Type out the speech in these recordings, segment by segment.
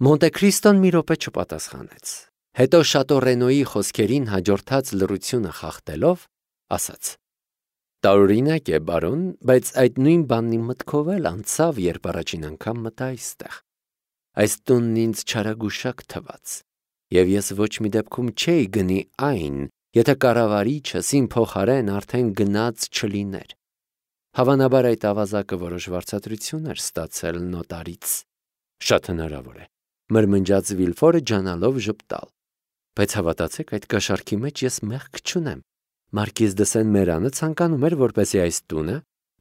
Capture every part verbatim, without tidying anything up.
Մոնտե Քրիստոն մի րոպե չպատասխանեց։ Հետո Շատո խոսքերին հաջորդած լռությունը խախտելով, ասաց. Տարօրինակ է, բարոն, բայց այդ նույն բանն իմ մտքով էլ անցավ, երբ առաջին անգամ մտա այստեղ։ Այս տունն ինձ չարագուշակ թվաց, եւ ես ոչ մի դեպքում չէի գնի այն, եթե կառավարիչս իմ փոխարեն արդեն գնաց չլիներ։ Հավանաբար այդ ավազակը որոշ վարձատրություն էր ստացել նոտարից։ Շատ հնարավոր է, մրմնջաց Վիլֆորը ջանալով ժպտալ։ Բայց հավատացեք, այդ կաշառքի մեջ ես մեղք չունեմ։ Մարկիզ դե Սեն-Մերանը ցանկանում էր, որպեսզի այս տունը,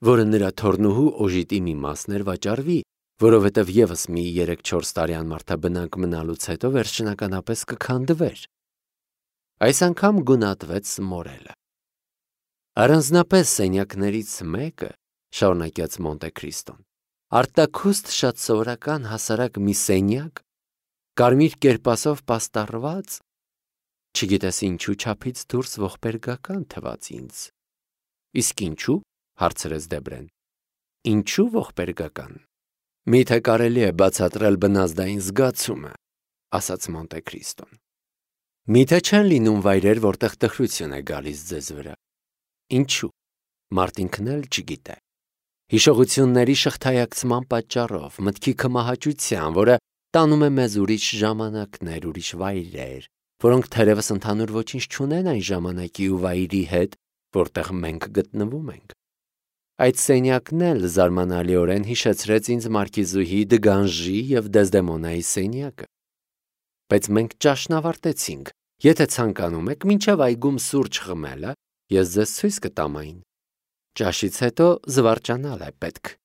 որը նրա թոռնուհու օժիտի մի մասն էր, վաճառվի, որովհետև եւս մի երեք-չորս տարի անմարդաբնակ մնալուց հետո վերջնականապես կքանդվեր։ Այս անգամ գունատվեց մորելը։ Առանձնապես սենյակներից մեկը, շարունակեց Մոնտե Քրիստոն, արտաքուստ շատ սովորական հասարակ մի սենյակ, կարմիր կերպասով պաստառված, չգիտես ինչու չափից դուրս ողբերգական թվաց ինձ։ Իսկ ինչու, հարցրեց Դեբրեն։ Ինչու ողբերգական։ Միթե կարելի է բացատրել բնազդային զգացումը, ասաց Մոնտե Քրիստոն։ Միթե չեն լինում վայրեր, որտեղ տխրություն է գալիս ձեզ վրա։ Ինչու։ Մարտինքն էլ չգիտե։ Հիշողությունների շղթայակցման պատճառով, մտքի կմահաճության, որը տանում է մեզ ուրիշ ժամանակներ, ուրիշ վայրեր, որոնք թերևս ընդհանուր ոչինչ չունեն այն ժամանակի ու վայրի հետ, որտեղ մենք գտնվում ենք։ Այդ սենյակն էլ զարմանալիորեն հիշեցրեց ինձ Մարկիզուհի Դգանժի և Դեզդեմոնայի սենյակը։ Բայց մենք ճաշն ավարտեցինք, եթե ցանկանում եք, մինչև այգում սուրճ խմելը, ես ձեզ ցույց կտամ այն։ Ճաշից հետո զվարճանալ է պետք։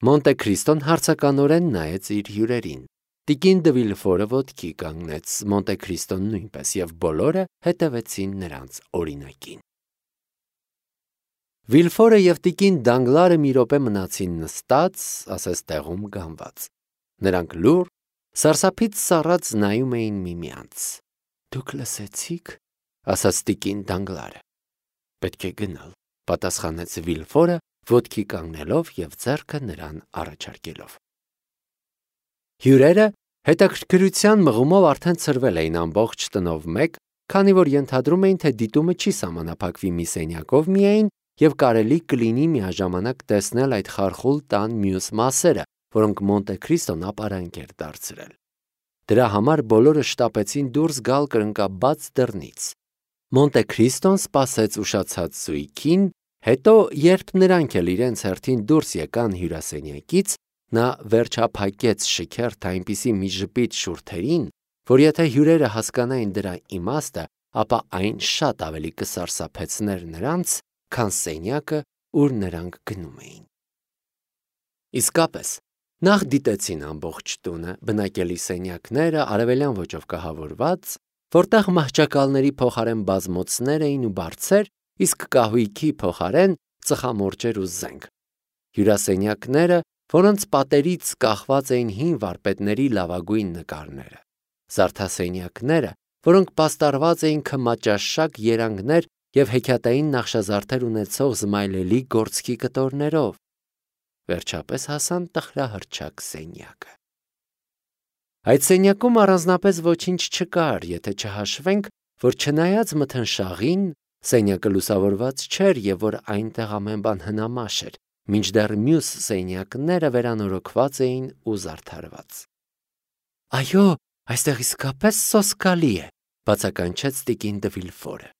Մոնտե Քրիստոն հարցականորեն նայեց իր հյուրերին։ Տիկին դը Վիլֆորը ոտքի կանգնեց, Մոնտե Քրիստոն նույնպես, և բոլորը հետևեցին նրանց օրինակին։ Վիլֆորը և տիկին Դանգլարը մի րոպե մնացին նստած, ասես տեղում գանված։ Նրանք լուռ, սարսափից սառած նայում էին միմյանց։ Դուք լսեցի՞ք, ասաց տիկին Դանգլարը։ Պետք է գնալ, պատասխանեց Վիլֆորը, ոտքի կանգնելով և ձեռքը նրան առաջարկելով։ Հյուրերը հետաքրքրության մղումով արդեն ցրվել էին ամբողջ տնով մեկ, քանի որ ենթադրում էին, թե դիտումը չի սահմանափակվի մի սենյակով միայն, և կարելի կլինի միաժամանակ տեսնել այդ խարխուլ տան մյուս մասերը, որոնք Մոնտե Քրիստոն ապարանք էր դարձրել։ Դրա համար բոլորը շտապեցին դուրս գալ կրնկաբաց դռնից։ Մոնտե Քրիստոն սպասեց ուշացած զույգին, հետո, երբ նրանք էլ իրենց հերթին դուրս եկան հյուրասենյակից, նա վերջափակեց շքերթ այնպիսի մի ժպիտ շուրթերին, որ եթե հյուրերը հասկանային դրա իմաստը, ապա այն շատ ավելի կսարսափեցներ նրանց, քան սենյակը, ուր նրանք գնում էին։ Իսկապես, նախ դիտեցին ամբողջ տունը, բնակելի սենյակները, արևելյան ոճով կահավորված, որտեղ մահճակալների փոխարեն բազմոցներ էին ու բարձեր, իսկ կահույքի փոխարեն ծխամորճեր ու զենք։ Հյուրասենյակները, որոնց պատերից կախված էին հին վարպետների լավագույն նկարները։ Զարդասենյակները, որոնք պաստառված էին քմաճաշակ երանգներ և հեքիաթային նախշազարդեր ունեցող զմայլելի գործքի կտորներով։ Վերջապես հասան տխրահռչակ սենյակը։ Այդ սենյակում առանձնապես ոչինչ չկար, եթե չհաշվենք, որ չնայած մթնշաղին, սենյակը լուսավորված չէր և որ այնտեղ ամեն բան հնամաշ էր, մինչդեռ մյուս սենյակները վերանորոգված էին ու զարդարված։ Այո, այստեղ իսկապես սոսկալի է, բացականչեց տիկին դը Վիլֆորը։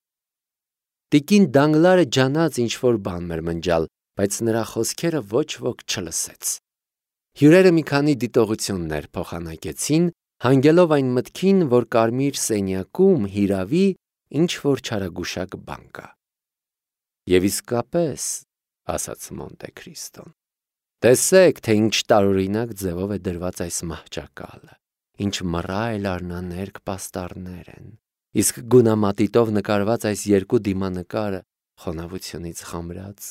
Տիկին Դանգլարը ջանաց ինչ-որ բան մրմնջալ, բայց նրա խոսքերը ոչ ոք չլսեց։ Հյուրերը մի քանի դիտողություններ փոխանակեցին, հանգելով այն մտքին, որ կարմիր սենյակում հիրավի ինչ-որ չարագուշակ բան կա։ Եվ իսկապես, ասաց Մոնտե Քրիստոն, տեսեք, թե ինչ տարօրինակ ձևով է դրված այս մահճակալը, ինչ մռայլ արնաներկ պաստառներ են, իսկ գունամատիտով նկարված այս երկու դիմանկարը խոնավությունից խամրած։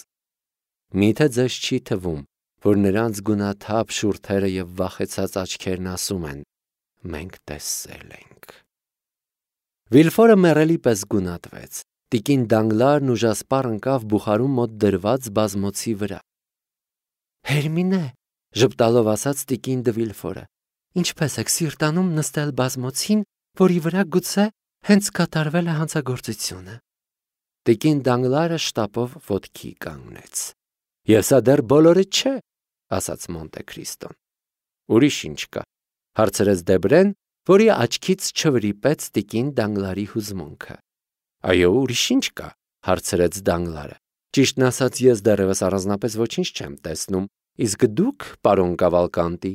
Միթե ձեզ չի թվում, որ նրանց գունաթափ շուրթերը և վախեցած աչքերն ասում են. մենք տեսել ենք։ Վիլֆորը մեռելի պես գունատվեց, տիկին Դանգլարն ուժասպառ ընկավ բուխարու մոտ դրված բազմոցի վրա։ Հերմինե, ժպտալով ասաց տիկին դը Վիլֆորը, Ինչպես եք սիրտանում նստել բազմոցին, որի վրա գուցե հենց կատարվել է հանցագործությունը։ Տիկին Դանգլարը շտապով ոտքի կանգնեց։ Եվ սա դեռ բոլորը չէ, ասաց Մոնտե Քրիստոն։ Ուրիշ ինչ կա, հարցրեց Դեբրեն, որի աչքից չվրիպեց տիկին Դանգլարի հուզմունքը։ Այո, ուրիշ ինչ կա, հարցրեց Դանգլարը։ Ճիշտն ասած, ես դեռևս առանձնապես ոչինչ չեմ տեսնում, իսկ դուք, պարոն Կավալկանտի։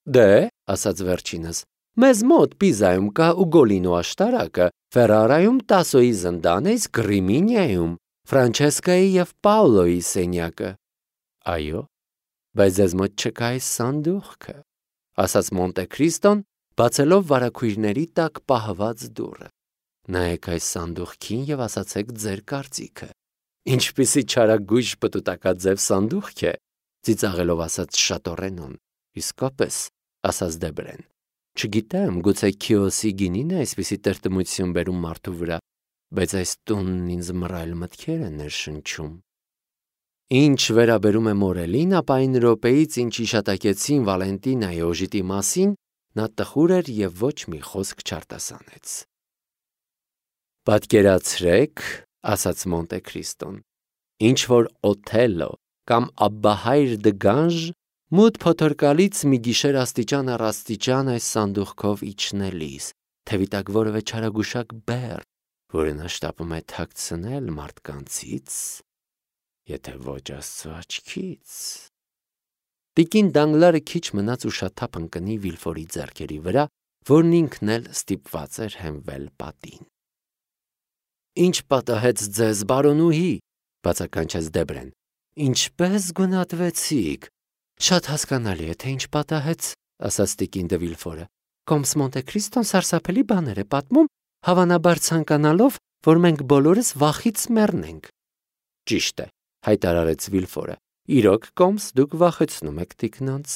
Դե, ասաց վերջինս, մեզ մոտ Պիզայում կա Ուգոլինո աշտարակը, Ֆերարայում Տասոյի զնդանը, իսկ Ռիմինիայում Ֆրանչեսկայի և Պաուլոյի սենյակը։ Այո, բայց ձեզ մոտ չկա այս սանդուղքը, ասաց Մոնտե Քրիստոն, բացելով վարագույրների տակ պահված դուռը։ Նայեք այս սանդուղքին և ասացեք ձեր կարծիքը։ Ինչպիսի չարագույժ պտուտակաձև սանդուղք է, ծիծաղելով ասաց Շատորենոն։ Իսկապես, ասաց Դեբրեն։ Չգիտեմ, գուցե Քիոսի գինին է այսպիսի տրտմություն բերում մարդու վրա, բայց այս տունն ինձ մռայլ մտքեր է ներշնչում։ Ինչ վերաբերում է Մորելին, ապա այն րոպեից, ինչ իշատակեցին Վալենտինայի օժիտի մասին, նա տխուր էր և ոչ մի խոսք չարտասանեց։ Պատկերացրեք, ասաց Մոնտե Քրիստոն, ինչ որ Օթելլո կամ Աբբահայր Դգանժ մութ փոթորկալից մի գիշեր աստիճան առ աստիճան այս սանդուղքով իջնելիս, թևի տակ որևէ չարագուշակ բեռ, որը նա շտապում է թաքցնել մարդկանցից, եթե ոչ Աստծո աչքից։ Տիկին Դանգլարը քիչ մնաց ուշաթափ ընկնի Վիլֆորի ձեռքերի վրա, որն ինքն էլ ստիպված էր հենվել պատին։ Ինչ պատահեց ձեզ, բարոնուհի, բացականչեց Դեբրեն։ Ինչպես գունատվեցիք։ Շատ հասկանալի է, թե ինչ պատահեց, ասաց տիկին դե Վիլֆորը։ Կոմս Մոնտե Քրիստոն սարսափելի բաներ է պատմում, հավանաբար ցանկանալով, որ մենք բոլորս վախից մեռնենք։ Ճիշտ է, հայտարարեց Վիլֆորը։ Իրոք, Կոմս, դուք վախեցնում եք տիկնանց։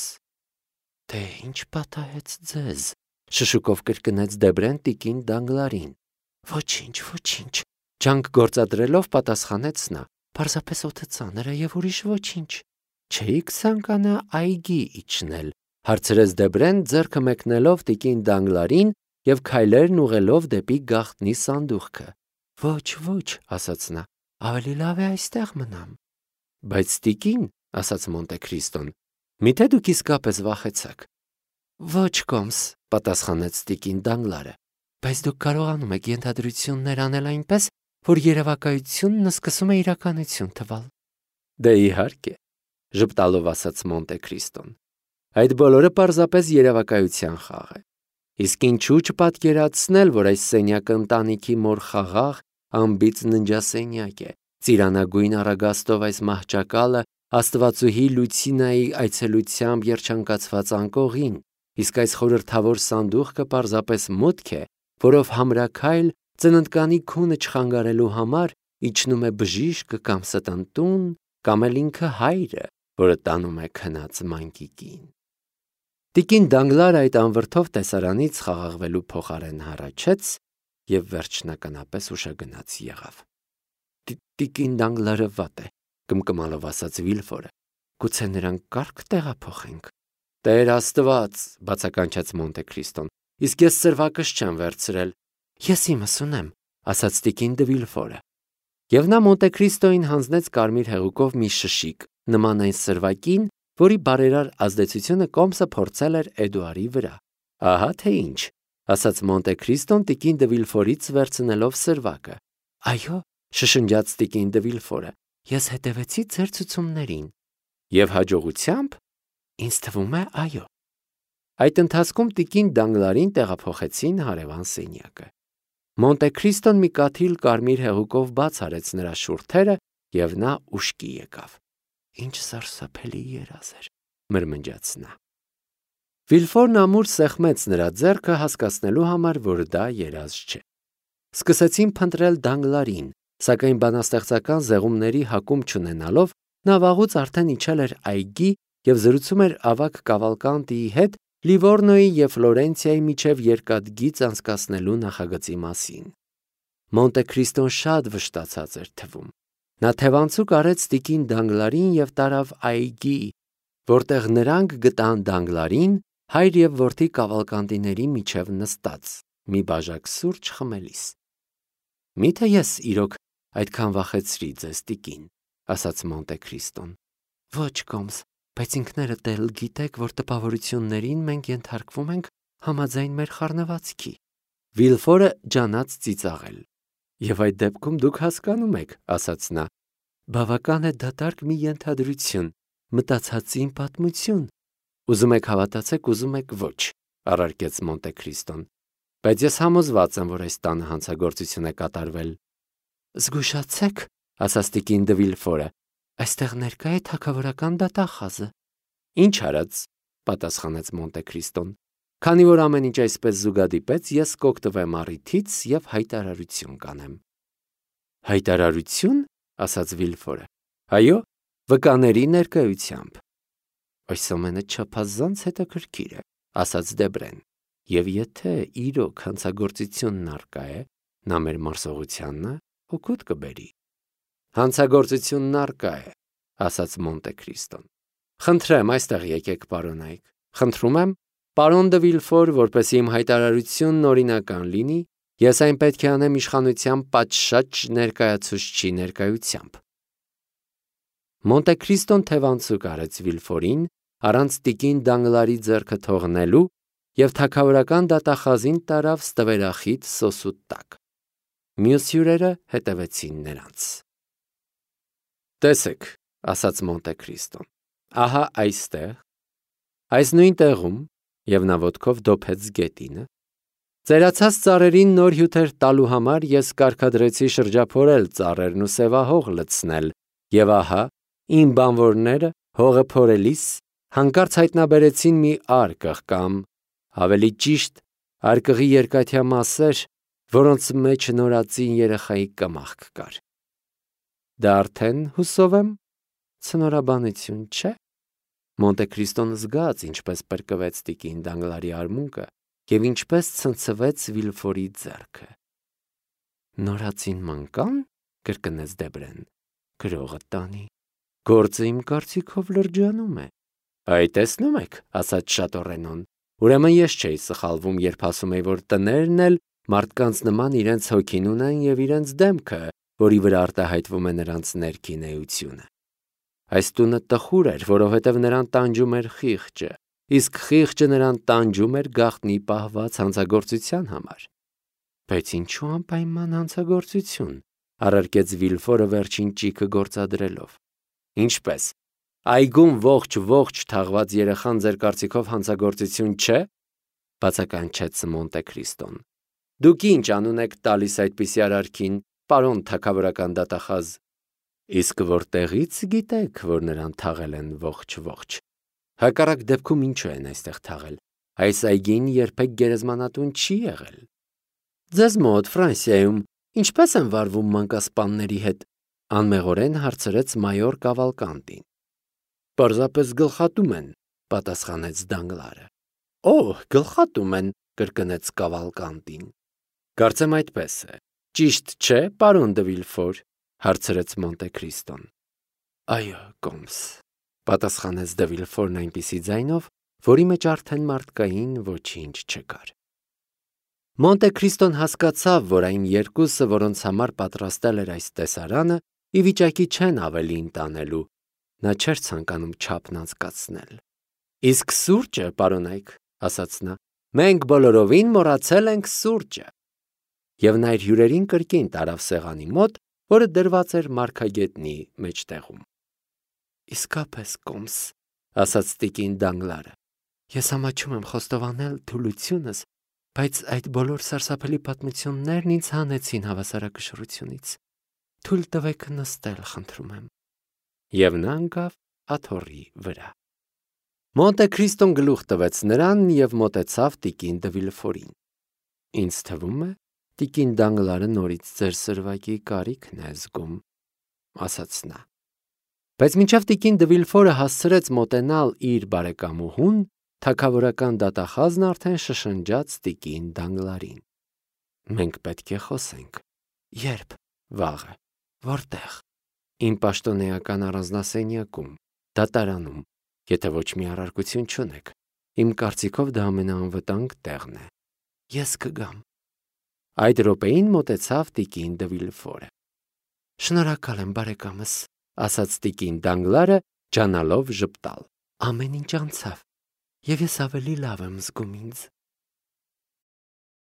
Դե ինչ պատահեց ձեզ, շշուկով կրկնեց Դեբրեն տիկին Դանգլարին։ Ոչինչ, ոչինչ, ջանք գործադրելով պատասխանեց նա։ Պարզապես օդը ծանր է և ուրիշ ոչինչ։ Չէիք ցանկանա այգի իջնել, հարցրեց Դեբրեն, ձեռքը մեկնելով տիկին Դանգլարին և քայլերն ուղղելով դեպի գաղտնի սանդուղքը։ Ոչ, ոչ, ասաց նա, ավելի լավ է այստեղ մնամ։ Բայց տիկին, ասաց Մոնտե Քրիստոն, միթե դուք իսկապես վախեցաք։ Ոչ, Կոմս, պատասխանեց տիկին Դանգլարը, բայց դուք կարողանում եք ենթադրություններ անել այնպես, որ երևակայությունն սկսում է իրականություն թվալ։ Դե իհարկե, ժպտալով ասաց Մոնտե Քրիստոն։ Այդ բոլորը պարզապես երևակայության խաղ է։ Իսկ ինչու չպատկերացնել, որ այս սենյակը ընտանիքի մոր խաղաղ, անբիծ ննջասենյակ է, ծիրանագույն առագաստով այս մահճակալը Աստվածուհի Լուցինայի այցելությամբ երջանկացված անկողին, իսկ այս խորհրդավոր սանդուղքը պարզապես մուտք է, որով համրաքայլ ծննդկանի քունը չխանգարելու համար իջնում է բժիշկը կամ ստընտուն, կամ էլ ինքը հայրը, որը տանում է քնած մանկիկին։ Տիկին Դանգլարը այդ անվրդով տեսարանից խաղաղվելու փոխարեն հառաչեց և վերջնականապես ուշագնաց եղավ։ Տիկին Դանգլարը վատ է, կմկմալով ասաց Վիլֆորը։ Գուցե նրան կարգ տեղափոխենք։ Տեր Աստված, բացականչեց Մոնտե Քրիստոն, իսկ ես սրվակս չեմ վերցրել։ Ես իմս ունեմ, ասաց տիկին դե Վիլֆորը։ Եվ նա Մոնտե Քրիստոյին հանձնեց կարմիր հեղուկով մի շշիկ, նման այն սրվակին, որի բարերար ազդեցությունը Կոմսը փորձել էր Էդուարի վրա։ Ահա թե ինչ, ասաց Մոնտե Քրիստոն տիկին դե Վիլֆորից վերցնելով սրվակը։ Այո, շշնջաց տիկին դե Վիլֆորը, ես հետևեցի ձեր ցուցումներին։ Եվ հաջողությամբ։ Ինձ թվում է, այո։ Այդ ընթացքում տիկին Դանգլարին տեղափոխեցին հարևան սենյակը։ Մոնտե Քրիստոն մի կաթիլ կարմիր հեղուկով բաց արեց նրա շուրթերը, և նա ուշքի եկավ։ Ինչ սարսափելի երազ էր, մրմնջաց նա։ Վիլֆորն ամուր սեղմեց նրա ձեռքը հասկացնելու համար, որ դա երազ չէ։ Սկսեցին փնտրել Դանգլարին, սակայն բանաստեղծական զեղումների հակում չունենալով, նա վաղուց արդեն իջել էր այգի և զրուցում էր ավագ Կավալկանտիի հետ Լիվորնոյի և Ֆլորենցիայի միջև երկաթգիծ անցկացնելու նախագծի մասին։ Մոնտե Քրիստոն շատ վշտացած էր թվում։ Նա թևանցուկ արեց տիկին Դանգլարին և տարավ այգի, որտեղ նրանք գտան Դանգլարին, հայր և որդի կավալկանդիների միջև նստած, մի բաժակ սուրճ խմելիս։ Միթե ես իրոք այդքան վախեցրի ձեզ, տիկին, ասաց Մոնտե Քրիստոն։ Ոչ, Կոմս, բայց ինքներդ էլ գիտեք, որ տպավորություններին մենք ենթարկվում ենք համաձայն մեր խառնվածքի։ Վիլֆորը ջանաց ծիծաղել։ Եվ այդ դեպքում դուք հասկանում եք, ասաց նա, բավական է դատարկ մի ենթադրություն, մտածածին պատմություն։ Ուզում եք հավատացեք, ուզում եք ոչ, առարկեց Մոնտե Քրիստոն, բայց ես համոզված եմ, որ այս տանը հանցագործություն է կատարվել։ Զգուշացեք, ասաց տիկին դը Վիլֆորը, այստեղ ներկա է թագավորական դատախազը։ Ինչ արած, պատասխանեց Մոնտե Քրիստոն, քանի որ ամեն ինչ այսպես զուգադիպեց, ես կօգտվեմ առիթից և հայտարարություն կանեմ։ Հայտարարություն, ասաց Վիլֆորը։ Այո, վկաների ներկայությամբ։ Այս ամենը չափազանց հետաքրքիր է, ասաց Դեբրեն, և եթե իրոք հանցագործությունն առկա է, նա մեր մարսողությանն օգուտ կբերի։ Հանցագործությունն առկա է, ասաց Մոնտե Քրիստոն։ Խնդրեմ, այստեղ եկեք, պարոն Այք։ Խնդրում եմ, պարոն դը Վիլֆոր, որպեսզի իմ հայտարարությունն օրինական լինի, ես այն պետք է անեմ իշխանության պատշաճ ներկայացուցչի ներկայությամբ։ Մոնտե Քրիստոն թևանցուկ արեց Վիլֆորին, առանց տիկին Դանգլարի ձեռքը թողնելու, և թագավորական դատախազին տարավ ստվերախիտ սոսուտ տակ։ Մյուս հյուրերը հետևեցին նրանց։ Տեսեք, ասաց Մոնտե Քրիստոն, ահա այստեղ, այս նույն տեղում, և նա ոտքով դոփեց գետինը, ծերացած ծառերին նոր հյութեր տալու համար ես կարգադրեցի շրջափորել ծառերն ու սևահող լցնել, և ահա, իմ բանվորները հողը փորելիս հանկարծ հայտնաբերեցին մի արկղ կամ, ավելի ճիշտ, արկղի երկաթյա մասեր, որոնց մեջ նորածին երեխայի կմախք կար։ Դա արդեն, հուսով եմ, ցնորաբանություն չէ։ Մոնտե Քրիստոն զգաց, ինչպես պրկվեց տիկին Դանգլարի արմունկը և ինչպես ցնցվեց Վիլֆորի ձեռքը։ Նորածին մանկան, կրկնեց Դեբրեն, գրողը տանի, գործը իմ կարծիքով լրջանում է։ Այ տեսնում եք, ասաց Շատորենոն, ուրեմն ես չէի սխալվում, երբ ասում էի, որ տներն էլ մարդկանց նման իրենց հոգին ունեն և իրենց դեմքը, որի վրա արտահայտվում է նրանց ներքին էությունը։ Այս տունը տխուր էր, որովհետև նրան տանջում էր խիղճը, իսկ խիղճը նրան տանջում էր գաղտնի պահված հանցագործության համար։ Բայց ինչու անպայման հանցագործություն, առարկեց Վիլֆորը վերջին ճիգը գործադրելով։ Ինչպես, այգում ողջ-ողջ թաղված երեխան ձեր կարծիքով հանցագործություն չէ, բացականչեց Մոնտե Քրիստոն։ Դուք ինչ անուն եք տալիս այդպիսի արարքին, պարոն թագավորական դատախազ։ Իսկ որտեղից գիտեք, որ նրան թաղել են ողջ-ողջ։ Հակառակ դեպքում ինչու են այստեղ թաղել։ Այս այգին երբեք գերեզմանատուն չի եղել։ Ձեզ մոտ Ֆրանսիայում ինչպես են վարվում մանկասպանների հետ, անմեղորեն հարցրեց մայոր Կավալկանդին։ Պարզապես գլխատում են, պատասխանեց Դանգլարը։ Օհ, գլխատում են, կրկնեց Կավալկանդին։ Կարծեմ այդպես է։ Ճիշտ չէ, պարոն դը Վիլֆոր, հարցրեց Մոնտե Քրիստոն։ Այո, Կոմս, պատասխանեց դը Վիլֆորն այնպիսի ձայնով, որի մեջ արդեն մարդկային ոչինչ չկար։ Մոնտե Քրիստոն հասկացավ, որ այն երկուսը, որոնց համար պատրաստել էր այս տեսարանը, ի վիճակի չեն ավելին տանելու, նա չէր ցանկանում չափն անցկացնել։ Իսկ սուրճը, պարոն Այք, ասաց նա, մենք բոլորովին մոռացել ենք սուրճը։ Եվ նա իր հյուրերին կրկին տարավ սեղանի մոտ, որը դրված էր մարգագետնի մեջտեղում։ Իսկապես, Կոմս, ասաց տիկին Դանգլարը, ես ամաչում եմ խոստովանել թուլությունս, բայց այդ բոլոր սարսափելի պատմություններն ինձ հանեցին հավասարակշռությունից։ Թույլ տվեք նստել, խնդրում եմ։ Եվ նա ընկավ աթոռի վրա։ Մոնտե Քրիստոն գլուխ տվեց նրան և մոտեցավ տիկին դը Վիլֆորին։ Ինձ թվում է, տիկին Դանգլարը նորից ձեր սրվակի կարիքն է զգում, ասաց նա։ Բայց մինչև տիկին դը Վիլֆորը հասցրեց մոտենալ իր բարեկամուհուն, թագավորական դատախազն արդեն շշնջաց տիկին Դանգլարին։ Մենք պետք է խոսենք։ Երբ, վաղը, որտեղ։ Իմ պաշտոնեական առանձնասենյակում, դատարանում, եթե ոչ մի առարկություն չունեք։ Իմ կարծիքով դա ամենաանվտանգ տեղն է։ Ես կգամ։ Այդ րոպեին մոտեցավ տիկին դը Վիլֆորը։ Շնորհակալ եմ, բարեկամս, ասաց տիկին Դանգլարը, ջանալով ժպտալ։ Ամեն ինչ անցավ, եւ ես ավելի լավ եմ զգում ինձ։